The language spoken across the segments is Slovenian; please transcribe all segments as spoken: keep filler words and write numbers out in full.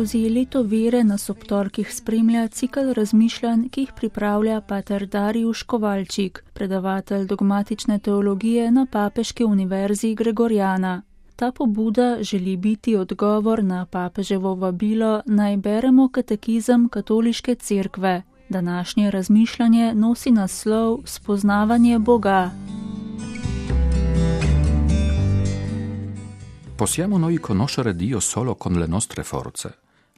Skozi leto vere nas ob torkih spremlja cikel razmišljanj, ki jih pripravlja pater Darijuš Kovalčik, predavatelj dogmatične teologije na Papeški univerzi Gregorjana. Ta pobuda želi biti odgovor na papeževo vabilo, naj beremo katekizem Katoliške cerkve. Današnje razmišljanje nosi naslov Spoznavanje Boga. Possiamo noi conoscere Dio solo con le nostre forze?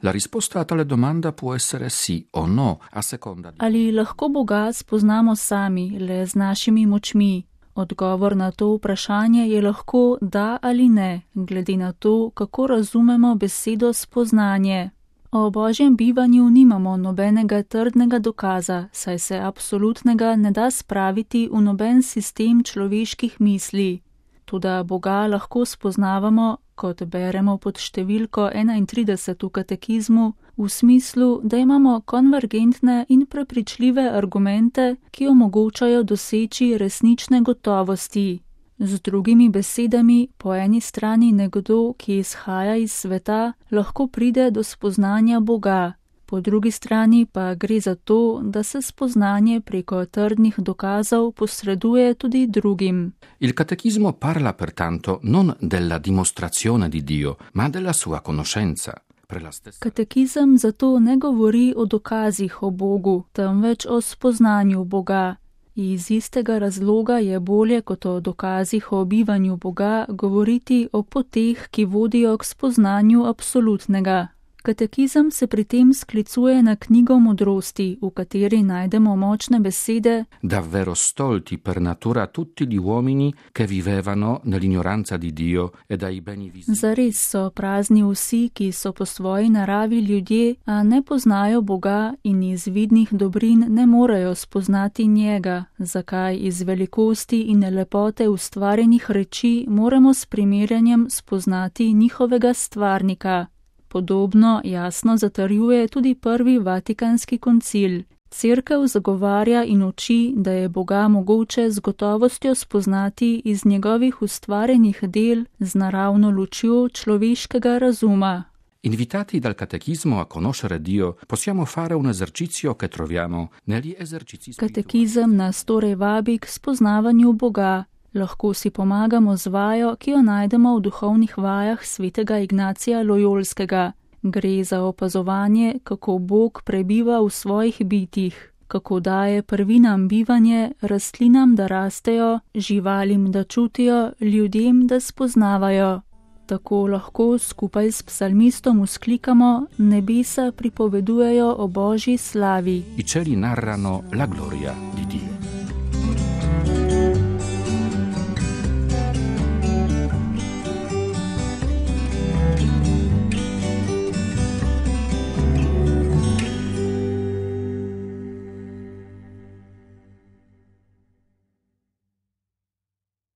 La risposta a tale domanda può essere sì o no, a seconda di... Ali lahko Boga spoznamo sami, le z našimi močmi? Odgovor na to vprašanje je lahko da ali ne, glede na to, kako razumemo besedo spoznanje. O Božjem bivanju nimamo nobenega trdnega dokaza, saj se absolutnega ne da spraviti v noben sistem človeških misli. Toda Boga lahko spoznavamo, kot beremo pod številko enaintrideset v katekizmu, v smislu, da imamo konvergentne in prepričljive argumente, ki omogočajo doseči resnične gotovosti. Z drugimi besedami, po eni strani nekdo, ki izhaja iz sveta, lahko pride do spoznanja Boga. Po drugi strani pa gre za to, da se spoznanje preko trdnih dokazov posreduje tudi drugim. Il catechismo parla pertanto non della dimostrazione di Dio, ma della sua conoscenza. Katekizem zato ne govori o dokazih o Bogu, temveč o spoznanju Boga. Iz istega razloga je bolje kot o dokazih o bivanju Boga govoriti o poteh, ki vodijo k spoznanju absolutnega. Katekizem se pri tem sklicuje na knjigo modrosti, v kateri najdemo močne besede davvero stolti per natura tutti gli uomini che vivevano nell'ignoranza di Dio e dai beni visibili. Zares so prazni vsi, ki so po svoji naravi ljudje, a ne poznajo Boga in iz vidnih dobrin ne morejo spoznati njega, zakaj iz velikosti in lepote ustvarjenih reči moramo s primerjanjem spoznati njihovega stvarnika. Podobno jasno zatrjuje tudi prvi Vatikanski koncil. Cerkev zagovarja in uči, da je Boga mogoče z gotovostjo spoznati iz njegovih ustvarjenih del z naravno lučjo človeškega razuma. Invitati dal catechismo a conoscere Dio, possiamo fare un esercizio che troviamo negli esercizi spirituali. Katekizem nas torej vabi k spoznavanju Boga. Lahko si pomagamo z vajo, ki jo najdemo v duhovnih vajah svetega Ignacija Lojolskega. Gre za opazovanje, kako Bog prebiva v svojih bitjih, kako daje prvinam bivanje, rastlinam, da rastejo, živalim, da čutijo, ljudem, da spoznavajo. Tako lahko skupaj s psalmistom vzklikamo, nebesa pripovedujejo o Božji slavi. I cieli narrano la gloria di Dio.